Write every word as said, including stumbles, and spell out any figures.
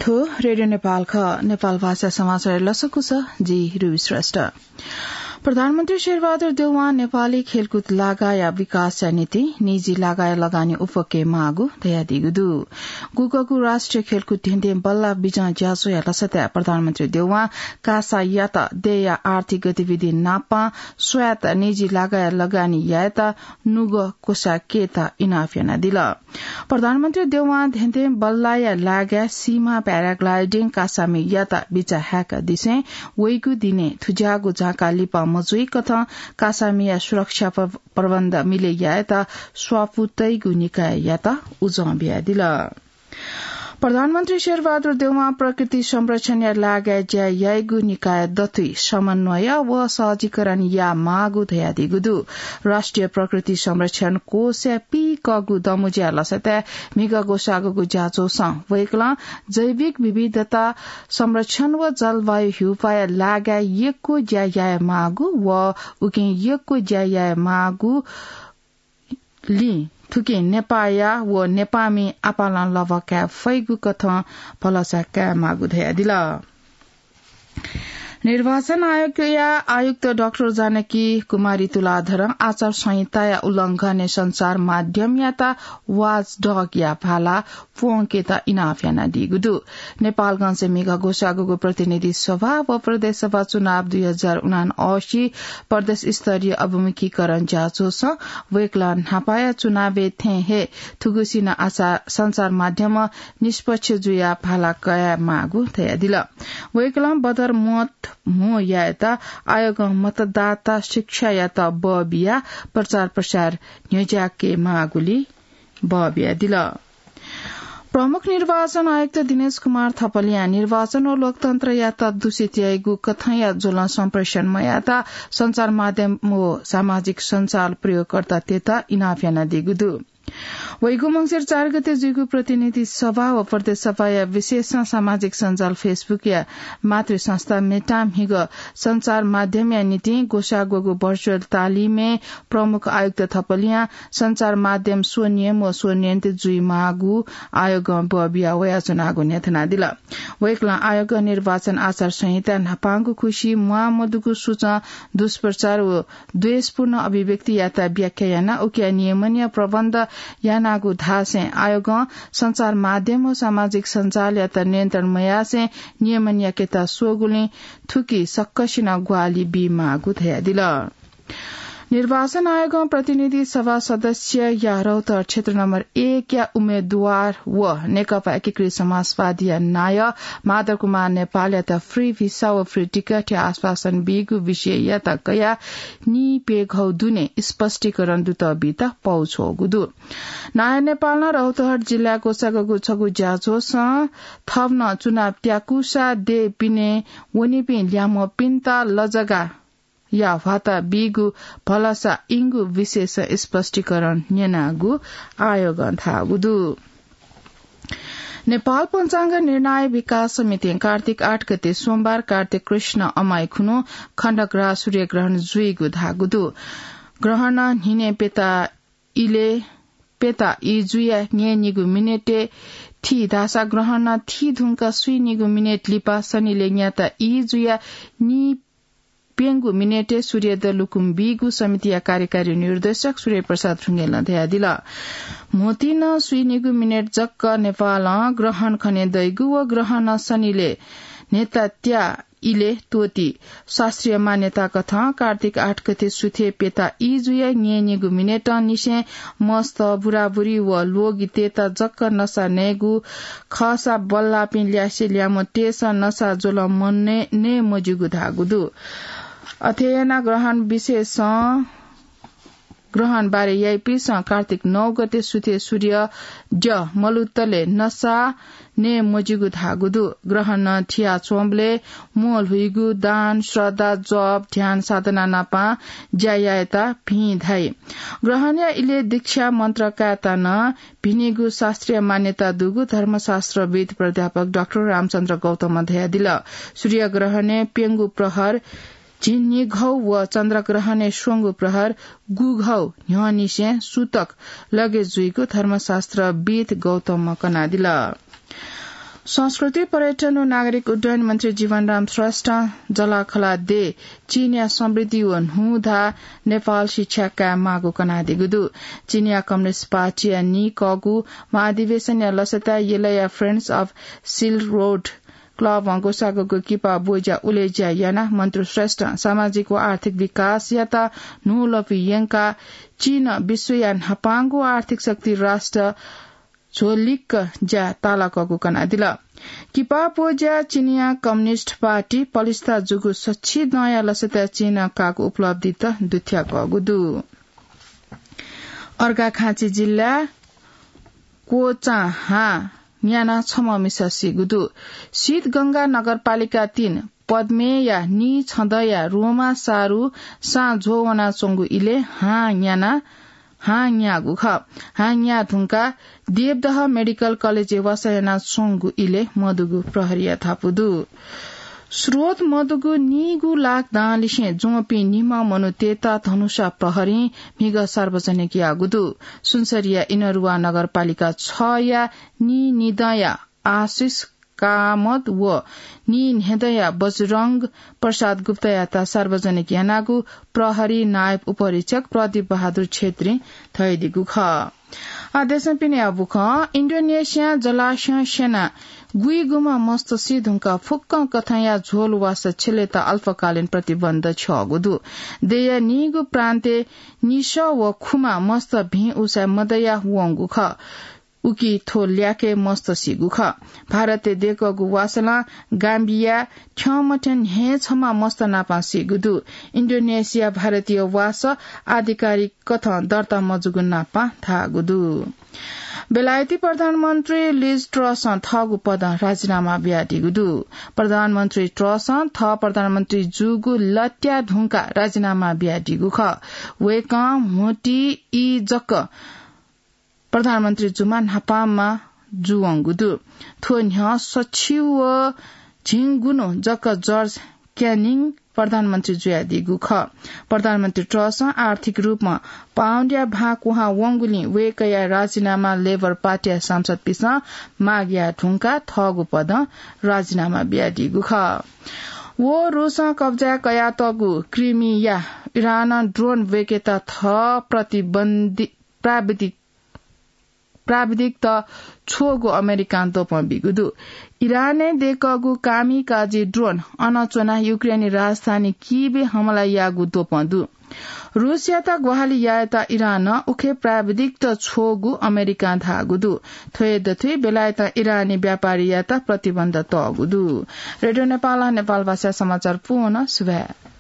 थ्व रेडियो नेपाल खः। नेपाल भाषा समाचार लसकुस, जि रुबी श्रेष्ठ। प्रधानमन्त्री शेरबहादुर देउवां नेपाली खेलकुद लागाया विकासया निंतिं निजी लागाया लगानी उफके माःगु धयादीगु दु। गुगगु राष्ट्रिय खेलकुद धेंधें बल्ला बिजं ज्याझ्वःया लसताय् प्रधानमन्त्री देउवां कासायात देय्‌या आर्थिक गतिविधि नापं स्वायत्त निजी लागाया लगानी यायेत नुगः क्वसाकेत इनाप यानादिल। प्रधानमन्त्री देउवां धेंधें बल्लाया लागाय् सीमा paragliding कासामियात बिचाः हाय्‌कादिसें वइगु दिनय् थुज्याःगु झाँका लिपा मजुइकथं कासामिया सुरक्षा प्र-, प्रबन्ध मिले यायेत स्वापू तइगु निकाययात उजं बियादिल। प्रधानमन्त्री शेरबहादुर देउवां प्रकृति संरक्षणया लागाय् ज्या याइगु निकाय दथुइ समन्वय व सहजीकरण यायेमाःगु धयादीगु दु। राष्ट्रिय प्रकृति संरक्षण कोषया पीकःगु दमुज्या लसताय् म्हिगः ग्वसाःगु ज्याझ्वलय् वय्‌कलं जैविक विविधता संरक्षण व जलवायु ह्यूपाया लागाय् यक्व ज्या यायेमाःगु व उकिं यक्व ज्या यायेमाःगु लिं थुकिं नेपाःया व नेपाःमि आपालं लभा काये फइगु कथं भलसा कायेमाःगु धयादिल। निर्वाचन आयोगया आयुक्त डाक्टर जानकी कुमारी तुलाधरं आचार संहिताया उल्लंघनय् सञ्चार माध्यमयात watchdog या भाला प्वंकेत इनाप यानादीगु दु। नेपालगंजय् म्हिगः ग्वसाःगु प्रतिनिधि सभा व प्रदेश सभा चुनाव दुई हजार उनासी प्रदेश स्तरीय अभिमुखीकरण ज्याझ्वलय् वय्‌कलं न्हापाया चुनावय् थें हे थुगुसी नं आचार संचार माध्यम निष्पक्ष जुयाः भाला कयायेमाःगु धयादिल। वय्‌कलं बदर मत म्हो यायेत आयोगं मतदाता शिक्षायात बः बियाः प्रचार प्रसार न्ह्यज्याकेमाःगुलिं बः बियादिल। प्रमुख निर्वाचन आयुक्त दिनेश कुमार थपलियां निर्वाचन व लोकतन्त्रयात दूषित याइगु कथंया ज्वलं सम्प्रेषण मयायेत सञ्चार माध्यम व सामाजिक सञ्जाल प्रयोगकर्तातय्‌त इनाप यानादीगु दु। वइगु मंसिर चार गते जुइगु प्रतिनिधि सभा व प्रदेश सभाया विशेष सामाजिक सञ्जाल Facebook या मातृ संस्था मेटां म्हिगः सञ्चार माध्यमया निंतिं ग्वसाः ग्वःगु virtual तालिमय् प्रमुख आयुक्त थपलियां सञ्चार माध्यम स्वनियम व स्वनियन्त्रित जुइमाःगु आयोगं बः बिया वयाच्वनागु न्ह्यथनादिल। वय्‌कलं आयोगं निर्वाचन आचार संहिता न्हापांगु खुसि म्वाःमदुगु सुचं दुष्प्रचार व द्वेषपूर्ण अभिव्यक्तियात व्याख्या यानाः उकिया नियमनया प्रबन्ध यानागु धासें आयोगं सञ्चार माध्यम व सामाजिक सञ्जालयात नियन्त्रण मयासें नियमन याकेत स्वःगुलिं थुकी सकसिनं ग्वाहालि बीमाःगु धयादिल। निर्वाचन आयोगं प्रतिनिधि सभा सदस्यया रौतहट क्षेत्र नम्बर एकया उम्मेदवार व नेकपा एकीकृत समाजवादीया नायः माधव कुमार नेपालयात free visa व free ticket या आश्वासन बीगु विषययात कयाः नीप्यघौ दुने स्पष्टीकरण दुत बीत पौछ्वःगु दु। नायः नेपालं रौतहट जिल्लाय् ग्वसाःगु छगू ज्याझ्वलय् थन नं चुनाव त्याकूसा देय् पिने वनीपिं ल्याम्हपिन्त लजगाः या ह्वाता बीगु भलसा इंगु विषयय् स्पष्टीकरण न्यनागु आयोगं धाःगु दु। नेपाल पञ्चाङ्ग निर्णायक विकास समितिं कार्तिक आठ गते सोमबार कार्तिक कृष्ण अमाइ खुन्हु खण्डग्रास सूर्यग्रहण जुइगु धाःगु दु। ग्रहणं न्हिनय् प्यता इलय् प्यता ई जुया न्यय्‌निगू मिनेटय् थी धाःसा ग्रहणं थी धुंकाः स्वीनिगू मिनेट लिपा सनिलय् न्याता ई जुया नी प्यंगू मिनेटय् सूर्यद्वः लुकुम बीगु समितिया कार्यकारी निर्देशक सूर्यप्रसाद ढुङ्गेलं धयादिल। म्होतिं स्वीनिगू मिनेट जक नेपालं ग्रहण खने दइगु व ग्रहणं सनिलय् न्ह्यता त्या इलय् त्वःती। शास्त्रीय मान्यता कथं कार्तिक आठ गते सुथय् प्यता ई जुया न्यय्‌निगू मिनेटंनिसें मस्त, बुराबुरी व ल्वगितय्‌त जक नसा नयेगु खःसा बल्लाःपिं ल्यासे ल्याम्ह तय्‌सं नसा ज्वलं नये मज्यूगु धाःगु दु। अथे यानाः ग्रहण विषयय् ग्रहण बारे याइपिन्सं कार्तिक नौ गते सुथय् सूर्यद्यः मलुतले नसा नये मज्यूगु धाःगु दु। ग्रहणं थियाच्वंबलय् म्वःल्हुइगु, दान, श्रद्धा, जप, ध्यान साधना नापं ज्या यायेत भिं धाइ। ग्रहणया इलय् दीक्षा मन्त्र कायेत नं भिनिगु शास्त्रीय मान्यता दुगु धर्मशास्त्रविद् प्राध्यापक डाक्टर रामचन्द्र गौतमं धयादिल। सूर्यग्रहणय् प्यंगू प्रहर झिंनिघौ व चन्द्रग्रहणय् स्वंगू प्रहर गुघौ न्ह्यःनिसें सुतक लगे जुइगु धर्मशास्त्रविद् गौतमं कनादिल। संस्कृति, पर्यटन व नागरिक उड्डयन मन्त्री जीवनराम श्रेष्ठं जलाखला देय् चीनया समृद्धि व न्हूदँ नेपाल शिक्षा काये माःगु कनादीगु दु। चीनया कम्युनिस्ट पार्टीया नीकःगु महाधिवेशनया लसताय् यलया Friends of Silk Road क्लबं ग्वसाःगु किपा ब्वज्या उलेज्या यानाः मन्त्री श्रेष्ठं सामाजिक व आर्थिक विकासयात न्हूलपु यंकाः चीनं विश्वया न्हापांगु आर्थिक शक्ति राष्ट्र झ्वलिक्क ज्या तालाकःगु कनादिल। किपा ब्वज्या चीनया कम्युनिस्ट पार्टी पलिस्था जूगु सछि दँया लसताय् चीनं काःगु उपलब्धित दुथ्याकःगु दु। अर्घाखाँची जिल्ला क्वचां हां न्यानाः छम्ह मिसा सीगु दु। सिद्धगंगा नगरपालिका तीन पद्मेया नी छदँया रोमा सारु साँझ्वः वनाच्वंगु इलय् हां न्यानाः हां न्याःगु खः। हां न्याः धुंकाः देवदह मेडिकल कलेजय् वासः यानाच्वंगु इलय् मदुगु प्रहरीया धापू दु। स्रोत मदुगु नीगू लाख दांलिसें ज्वंपिं निम्ह मनूतय्त धनुषा प्रहरीं म्हिगः सार्वजनिक याःगु दु। सुनसरीया इनरुवा नगरपालिका छया नी निदँया आशिष कामत व नी न्हय्दँया बजरंग प्रसाद गुप्तायात सार्वजनिक यानागु प्रहरी नायब उपरीक्षक प्रदीप बहादुर छेत्रीं धयादीगु खः। आ, देशं पिने अबुखं इन्डोनेसिया जलाशयं स्यना गुइगुमा मस्त सी धुंकाः फुक्कं कथंया झ्वल वासः छ्यलेत अल्पकालीन प्रतिबन्ध छ्यःगु दु। देय्या नीगु प्रान्तय् निसः व खुमा मस्त भिं उसाँय् मदया वंगु खः। उकी थ्व ल्याखय् मस्त सीगु खः। भारतय् दय्कःगु वासलं गाम्बिया थ्यंमथ्यं न्हय् छम्ह मस्त नापां सीगु दु। इन्डोनेसिया भारतीय वासः आधिकारिक कथं दर्ता मजूगु नापां धाःगु दु। बेलायती प्रधानमन्त्री लिज ट्रसं थःगु पदं राजीनामा बियादीगु दु। प्रधानमन्त्री ट्रसं थः प्रधानमन्त्री जूगु लत्या धुंकाः राजीनामा बियादीगु खः। वय्कलं म्होतिइ जक प्रधानमन्त्री जुमा न्हापांमा जुवंगु दु। थ्व न्ह्यः सछि व झिंगुन्हु जक जर्ज क्यानिङ प्रधानमन्त्री जुयादीगु खः। प्रधानमन्त्री ट्रसं आर्थिक रूपमा पाउण्डया भां कुहां वंगुलिं वय्कःया राजीनामा लेबर पार्टीया सांसदपिन्सं माग याये धुंकाः थःगु पदं राजीनामा बियादीगु खः। व रूसं कब्जा कयातःगु क्रिमिया इरानं ड्रोन ब्वय्केत थः प्रतिबन्धी प्राविधिक प्राविधिकत छ्वःगु अमेरिकां द्वपं बीगु दु। इरानय् दय्कःगु कामिकाजी ड्रोन अन च्वनाः युक्रेनी राजधानी कीवय् हमला याःगु द्वपं दु। रूसयात ग्वाहालि यायेत इरानं उखे प्राविधिकत छ्वःगु अमेरिकां धाःगु दु। थ्व हे दथुइ बेलायतं इरानी व्यापारीयात प्रतिबन्ध तःगु दु। रेडियो नेपालं नेपालभाषा समाचार पूवं सुभाय्।